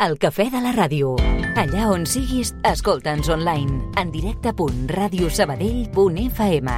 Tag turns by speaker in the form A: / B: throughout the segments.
A: El cafè de la ràdio. Allà on siguis, escolta'ns online. En directe.radiosabadell.fm.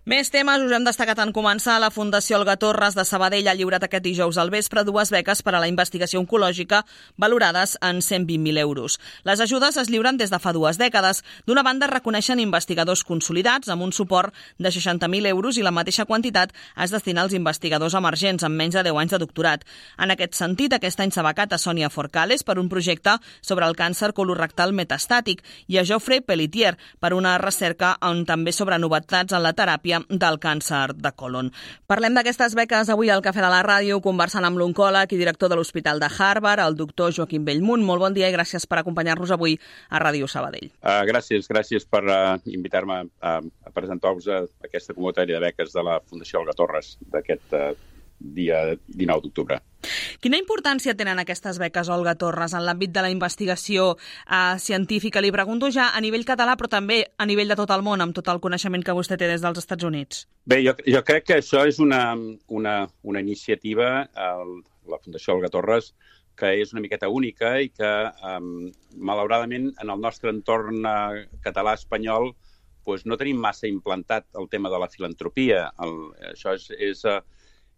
B: Més temes us hem destacat en començar. La Fundació Olga Torres de Sabadell ha lliurat aquest dijous al vespre 2 beques per a la investigació oncològica valorades en 120.000 euros. Les ajudes es lliuren des de fa 2 dècades. D'una banda, reconeixen investigadors consolidats amb un suport de 60.000 euros i la mateixa quantitat es destina als investigadors emergents amb menys de 10 anys de doctorat. En aquest sentit, aquest any s'ha becat a Sònia Forcales per un projecte sobre el càncer colorectal metastàtic i a Geoffrey Pelletier per una recerca també sobre novetats en la teràpia del càncer de colon. Parlem d'aquestes beques avui al Cafè de la Ràdio, conversant amb l'oncòleg i director de l'Hospital de Harvard, el doctor Joaquim Bellmunt. Molt bon dia i gràcies per acompanyar-nos avui a Ràdio Sabadell.
C: Gràcies per invitar-me a presentar-vos aquesta convocatòria de beques de la Fundació Olga Torres d'aquest dia 19 d'octubre.
B: Quina importància tenen aquestes beques, Olga Torres, en l'àmbit de la investigació científica? Li pregunto ja a nivell català, però també a nivell de tot el món, amb tot el coneixement que vostè té des dels Estats Units.
C: Bé, jo crec que això és una iniciativa, la Fundació Olga Torres, que és una miqueta única i que, malauradament, en el nostre entorn català-espanyol, no tenim massa implantat el tema de la filantropia. Això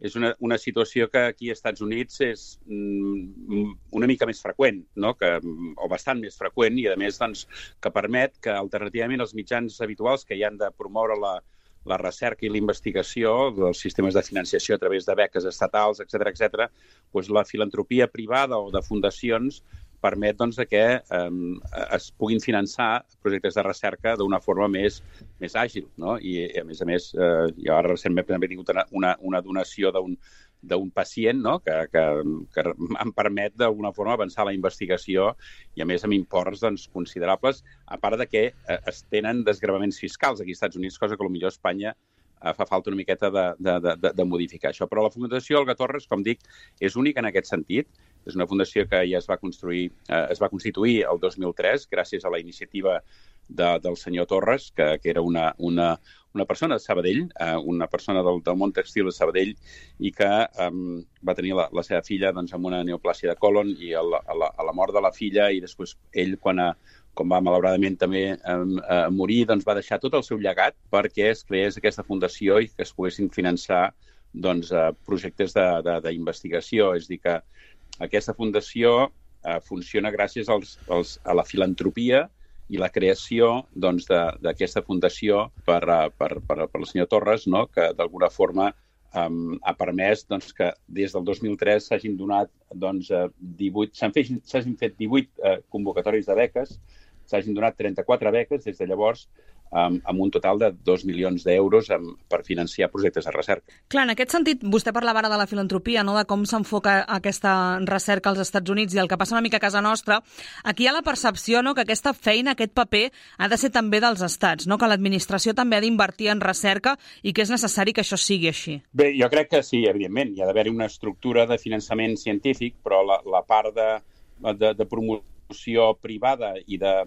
C: és una situació que aquí als Estats Units és una mica més freqüent, no? O bastant més freqüent, i a més que permet que alternativament els mitjans habituals que hi han de promoure la recerca i la investigació dels sistemes de financiació a través de beques estatals, etc., la filantropia privada o de fundacions permet que es puguin finançar projectes de recerca d'una forma més àgil, no? I, a més, jo ara recentment també he tingut una donació d'un pacient, no? que em permet d'alguna forma avançar la investigació i, a més, amb imports considerables, a part de que es tenen desgravaments fiscals aquí als Estats Units, cosa que potser a Espanya fa falta una miqueta de modificar això. Però la Fundació Olga Torres, com dic, és única en aquest sentit. És una fundació que ja es va constituir el 2003 gràcies a la iniciativa del senyor Torres, que era una persona de Sabadell, una persona del món textil de Sabadell, i que va tenir la seva filla amb una neoplàsia de colon, i a la mort de la filla, i després ell, quan va malauradament també morir, va deixar tot el seu llegat perquè es creés aquesta fundació i que es poguessin finançar projectes d'investigació. És a dir, que aquesta fundació funciona gràcies a la filantropia i la creació d'aquesta fundació per el senyor Torres, no? Que d'alguna forma ha permès que des del 2003 s'hagin donat s'hagin fet 18 convocatòries de beques, s'hagin donat 34 beques des de llavors, amb un total de 2 milions d'euros per financiar projectes de recerca.
B: Clar, en aquest sentit, vostè parlava ara de la filantropia, no? De com s'enfoca aquesta recerca als Estats Units i el que passa una mica a casa nostra. Aquí hi ha la percepció, no?, que aquesta feina, aquest paper, ha de ser també dels estats, no?, que l'administració també ha d'invertir en recerca i que és necessari que això sigui així.
C: Bé, jo crec que sí, evidentment. Hi ha d'haver una estructura de finançament científic, però la part de promoció privada i de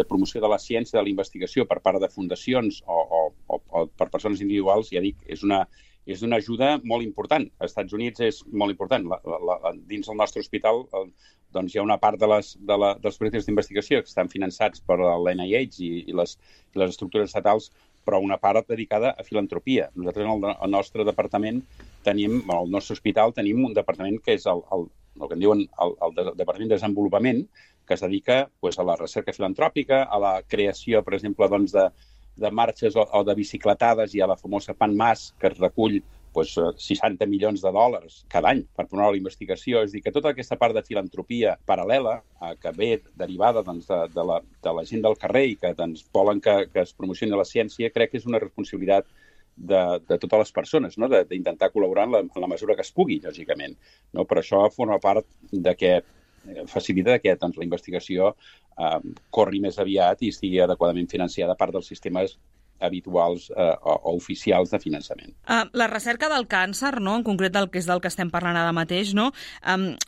C: promoció de la ciència, de la investigació per part de fundacions o per persones individuals, ja dic, és una ajuda molt important. Als Estats Units és molt important. Dins del nostre hospital hi ha una part dels projectes d'investigació que estan finançats per l'NIH i les estructures estatals, però una part dedicada a filantropia. Nosaltres al nostre departament al nostre hospital tenim un departament que és el que en diuen el Departament de Desenvolupament, que es dedica a la recerca filantròpica, a la creació, per exemple, de marxes o de bicicletades, i a la famosa PANMAS, que es recull 60 milions de dòlars cada any per promoure la investigació. És a dir, que tota aquesta part de filantropia paral·lela, que ve derivada de la gent del carrer i que volen que es promocioni la ciència, crec que és una responsabilitat de totes les persones, no? D'intentar col·laborar en la mesura que es pugui, lògicament. No? Però això forma part de que facilita que la investigació corri més aviat i estigui adequadament financiada a part dels sistemes habituals o oficials de finançament.
B: La recerca del càncer, no? En concret del que és del que estem parlant ara mateix, no?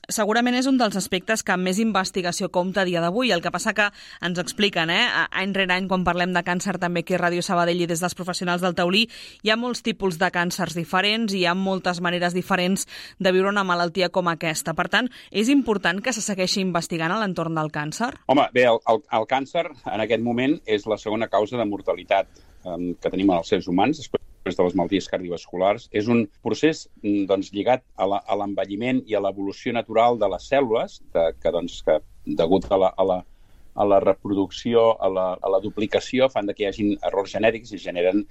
B: Segurament és un dels aspectes que més investigació compta a dia d'avui. El que passa que ens expliquen, any rere any, quan parlem de càncer també aquí a Ràdio Sabadell i des dels professionals del taulí, hi ha molts tipus de càncers diferents i hi ha moltes maneres diferents de viure una malaltia com aquesta. Per tant, és important que se segueixi investigant a l'entorn del càncer?
C: Home, bé, el càncer en aquest moment és la segona causa de mortalitat que tenim en els seres humans, després de les malalties cardiovasculars. És un procés lligat a l'envelliment i a l'evolució natural de les cèl·lules, que degut a la reproducció, a la duplicació, fan que hi hagi errors genètics i generen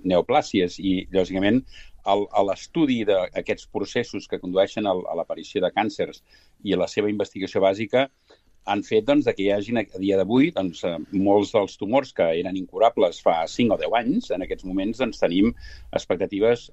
C: neoplàsies. I, lògicament, a l'estudi d'aquests processos que condueixen a l'aparició de càncers i a la seva investigació bàsica han fet que hi hagi a dia d'avui molts dels tumors que eren incurables fa 5 o 10 anys. En aquests moments tenim expectatives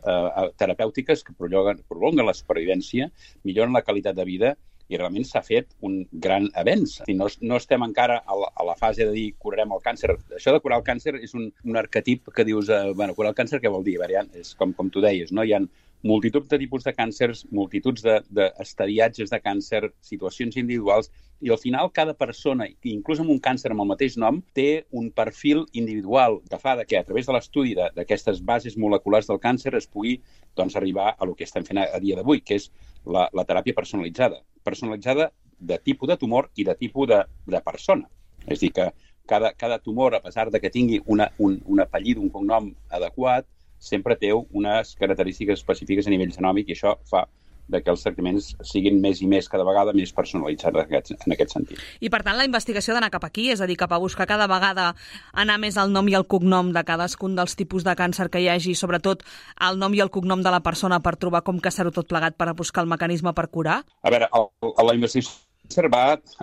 C: terapèutiques que prolonguen la supervivència, milloren la qualitat de vida i realment s'ha fet un gran avenç. No estem encara a la fase de dir curarem el càncer. Això de curar el càncer és un arquetip que dius, curar el càncer què vol dir? És com tu deies, no? Hi ha multitud de tipus de càncers, multituds d'estadiatges de càncer, situacions individuals, i al final cada persona, inclús amb un càncer amb el mateix nom, té un perfil individual que fa que a través de l'estudi d'aquestes bases moleculars del càncer es pugui arribar a el que estem fent a dia d'avui, que és la teràpia personalitzada. Personalitzada de tipus de tumor i de tipus de persona. És a dir, que cada tumor, a pesar de que tingui un apellido, un cognom adequat, sempre té unes característiques específiques a nivell genòmic i això fa que els tractaments siguin més i més, cada vegada més personalitzats en aquest sentit.
B: I, per tant, la investigació ha d'anar cap aquí, és a dir, cap a buscar cada vegada anar més al nom i al cognom de cadascun dels tipus de càncer que hi hagi, sobretot el nom i el cognom de la persona per trobar com caçar-ho tot plegat per a buscar el mecanisme per curar?
C: A veure, la investigació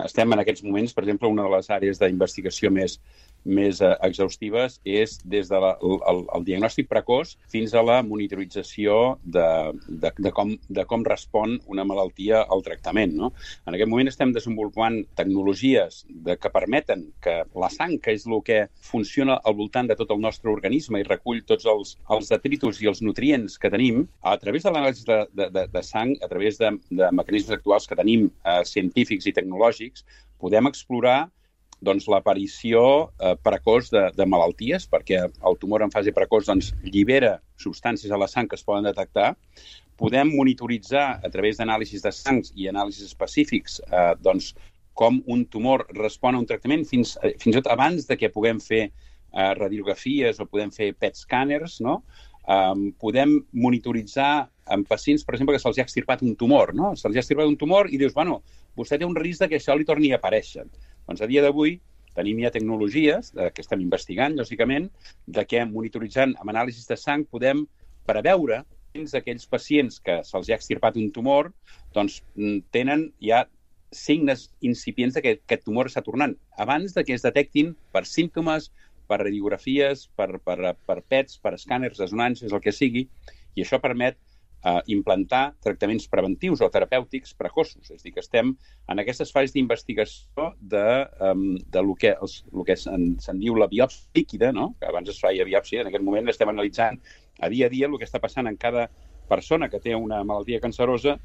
C: estem en aquests moments, per exemple, una de les àrees d'investigació més exhaustives és des del diagnòstic precoç fins a la monitorització de com respon una malaltia al tractament, no? En aquest moment estem desenvolupant tecnologies que permeten que la sang, que és el que funciona al voltant de tot el nostre organisme i recull tots els detritus i els nutrients que tenim, a través de l'anàlisi de sang, a través de mecanismes actuals que tenim científics i tecnològics, podem explorar l'aparició precoç de malalties, perquè el tumor en fase precoç llibera substàncies a la sang que es poden detectar. Podem monitoritzar a través d'anàlisis de sangs i anàlisis específics com un tumor respon a un tractament fins i tot abans de que puguem fer radiografies o podem fer PET scanners, no? Podem monitoritzar en pacients, per exemple, que se'ls ha extirpat un tumor, no? Se'ls ha extirpat un tumor i dius, vostè té un risc que això li torni a aparèixer. Doncs a dia d'avui tenim ja tecnologies que estem investigant, lògicament, que monitoritzant amb anàlisis de sang podem preveure fins aquells pacients que se'ls ha extirpat un tumor tenen ja signes incipients que aquest tumor està tornant abans que es detectin per símptomes, per radiografies, per PETs, per escàners, resonàncies, el que sigui, i això permet implantar tractaments preventius o terapèutics precoços. És a dir, que estem en aquestes fases d'investigació de lo que se'n diu la biòpsia líquida, no? Que abans es feia biòpsia, en aquest moment estem analitzant a dia el que està passant en cada persona que té una malaltia cancerosa,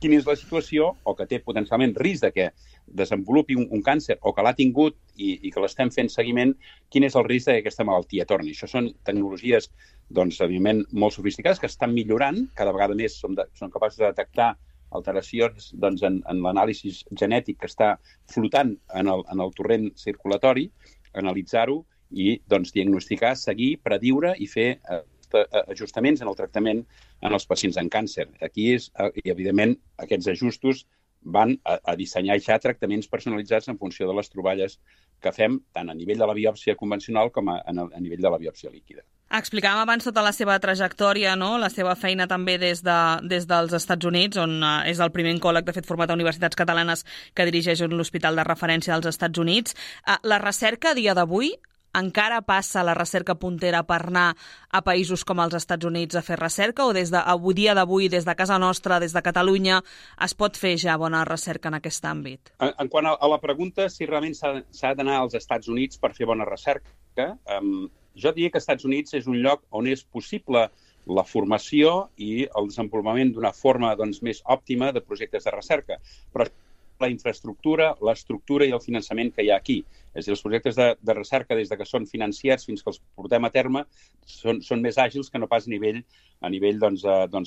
C: quina és la situació o que té potencialment risc de que desenvolupi un càncer o que l'ha tingut i que l'estem fent seguiment, quin és el risc que aquesta malaltia torni. Això són tecnologies, evidentment, molt sofisticades que estan millorant, cada vegada més són capaços de detectar alteracions en l'anàlisi genètic que està flotant en el torrent circulatori, analitzar-ho i diagnosticar, seguir, prediure i fer ajustaments en el tractament en els pacients amb càncer. Aquí, evidentment, aquests ajustos van a dissenyar ja tractaments personalitzats en funció de les troballes que fem tant a nivell de la biòpsia convencional com a nivell de la biòpsia líquida.
B: Explicàvem abans tota la seva trajectòria, no? La seva feina també des dels Estats Units, on és el primer oncòleg, de fet, format a universitats catalanes que dirigeix l'Hospital de Referència dels Estats Units. La recerca a dia d'avui encara passa la recerca puntera per anar a països com els Estats Units a fer recerca o des dia d'avui, des de casa nostra, des de Catalunya, es pot fer ja bona recerca en aquest àmbit?
C: En quant a la pregunta si realment s'ha d'anar als Estats Units per fer bona recerca, jo diria que als Estats Units és un lloc on és possible la formació i el desenvolupament d'una forma més òptima de projectes de recerca. Però la infraestructura, l'estructura i el finançament que hi ha aquí. És a dir, els projectes de recerca, des que són financiats fins que els portem a terme, són més àgils que no pas a nivell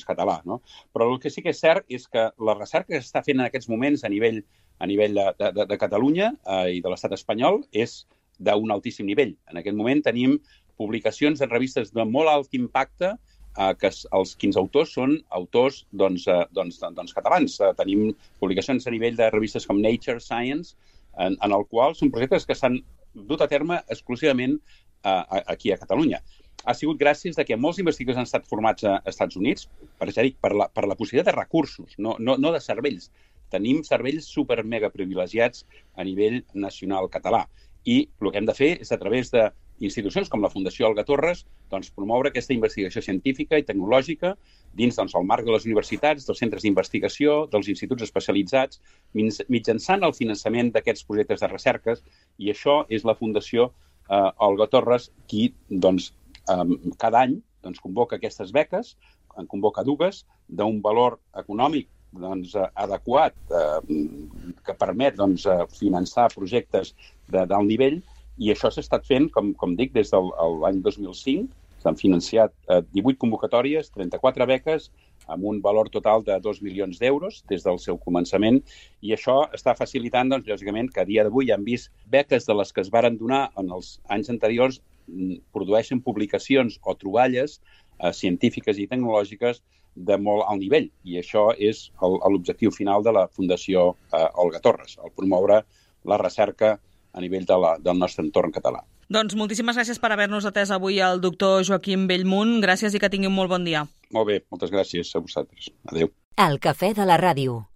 C: català. No? Però el que sí que és cert és que la recerca que s'està fent en aquests moments a nivell de Catalunya i de l'estat espanyol és d'un altíssim nivell. En aquest moment tenim publicacions en revistes de molt alt impacte que els 15 autors són autors catalans. Tenim publicacions a nivell de revistes com Nature, Science, en el qual són projectes que s'han dut a terme exclusivament aquí a Catalunya. Ha sigut gràcies a que molts investigadors han estat formats a Estats Units per la possibilitat de recursos, no de cervells. Tenim cervells super mega privilegiats a nivell nacional català. I el que hem de fer és, a través d'institucions com la Fundació Olga Torres, promoure aquesta investigació científica i tecnològica dins el marc de les universitats, dels centres d'investigació, dels instituts especialitzats, mitjançant el finançament d'aquests projectes de recerques, i això és la Fundació Olga Torres qui, cada any, convoca aquestes beques, en convoca dues, d'un valor econòmic adequat que permet finançar projectes d'alt nivell, i això s'ha estat fent, com dic, des de l'any 2005. S'han financiat 18 convocatòries, 34 beques, amb un valor total de 2 milions d'euros des del seu començament, i això està facilitant, lògicament, que a dia d'avui hem vist beques de les que es varen donar en els anys anteriors produeixen publicacions o troballes científiques i tecnològiques de molt alt nivell, i això és l'objectiu final de la Fundació Olga Torres, el promoure la recerca a nivell del nostre entorn català.
B: Doncs moltíssimes gràcies per haver-nos atès avui el doctor Joaquim Bellmunt. Gràcies i que tingui un molt bon dia.
C: Molt bé, moltes gràcies a vosaltres. Adéu.
A: El cafè de la ràdio.